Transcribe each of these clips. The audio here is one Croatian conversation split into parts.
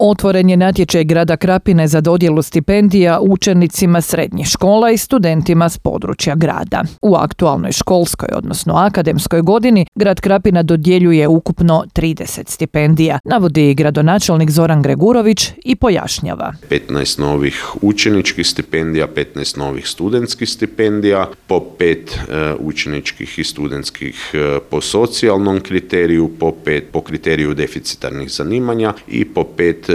Otvoren je natječaj grada Krapine za dodjelu stipendija učenicima srednjih škola i studentima s područja grada. U aktualnoj školskoj, odnosno akademskoj godini, grad Krapina dodjeljuje ukupno 30 stipendija, navodi gradonačelnik Zoran Gregurović i pojašnjava. 15 novih učeničkih stipendija, 15 novih studentskih stipendija, po 5 učeničkih i studentskih po socijalnom kriteriju, po 5 po kriteriju deficitarnih zanimanja i po 5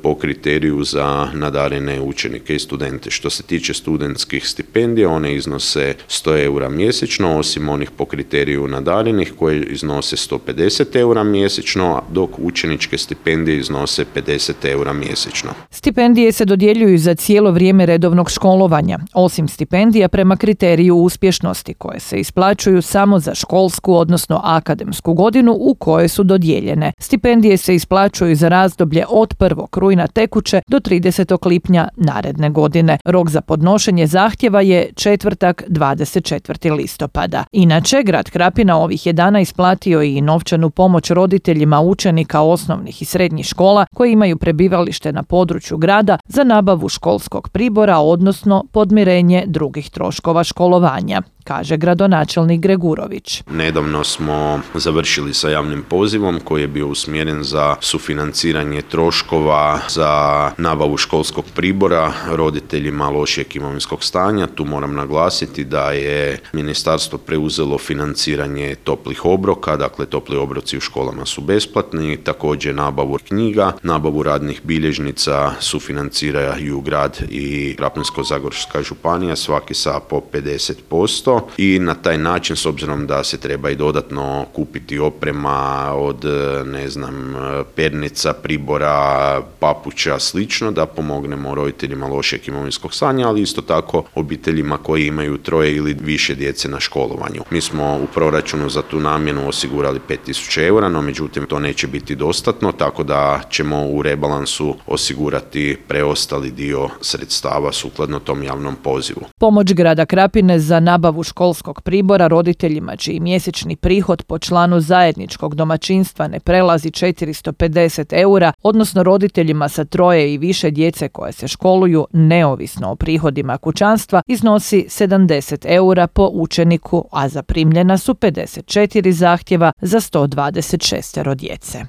po kriteriju za nadarene učenike i studente. Što se tiče studentskih stipendija, one iznose 100 eura mjesečno, osim onih po kriteriju nadarenih koje iznose 150 eura mjesečno, dok učeničke stipendije iznose 50 eura mjesečno. Stipendije se dodjeljuju za cijelo vrijeme redovnog školovanja, osim stipendija prema kriteriju uspješnosti koje se isplaćuju samo za školsku, odnosno akademsku godinu u kojoj su dodijeljene. Stipendije se isplaćuju za razdoblje od 1. rujna tekuće do 30. lipnja naredne godine. Rok za podnošenje zahtjeva je četvrtak 24. listopada. Inače, grad Krapina ovih je dana isplatio i novčanu pomoć roditeljima učenika osnovnih i srednjih škola koji imaju prebivalište na području grada za nabavu školskog pribora, odnosno podmirenje drugih troškova školovanja, kaže gradonačelnik Gregurović. Nedavno smo završili sa javnim pozivom koji je bio usmjeren za sufinanciranje troškova za nabavu školskog pribora roditeljima lošijeg imovinskog stanja. Tu moram naglasiti da je ministarstvo preuzelo financiranje toplih obroka, dakle topli obroci u školama su besplatni, također nabavu knjiga, nabavu radnih bilježnica sufinanciraju grad i Krapinsko-zagorska županija, svaki sa po 50%. I na taj način, s obzirom da se treba i dodatno kupiti oprema od, pernica, pribora, papuča, slično, da pomognemo roditeljima lošeg imovinskog stanja, ali isto tako obiteljima koji imaju 3 ili više djece na školovanju. Mi smo u proračunu za tu namjenu osigurali 5.000 eura, no međutim to neće biti dostatno, tako da ćemo u rebalansu osigurati preostali dio sredstava sukladno tom javnom pozivu. Pomoć grada Krapine za nabavu školskog pribora roditeljima čiji mjesečni prihod po članu zajedničkog domaćinstva ne prelazi 450 eura, odnosno roditeljima sa 3 i više djece koje se školuju neovisno o prihodima kućanstva, iznosi 70 eura po učeniku, a zaprimljena su 54 zahtjeva za 126 djece.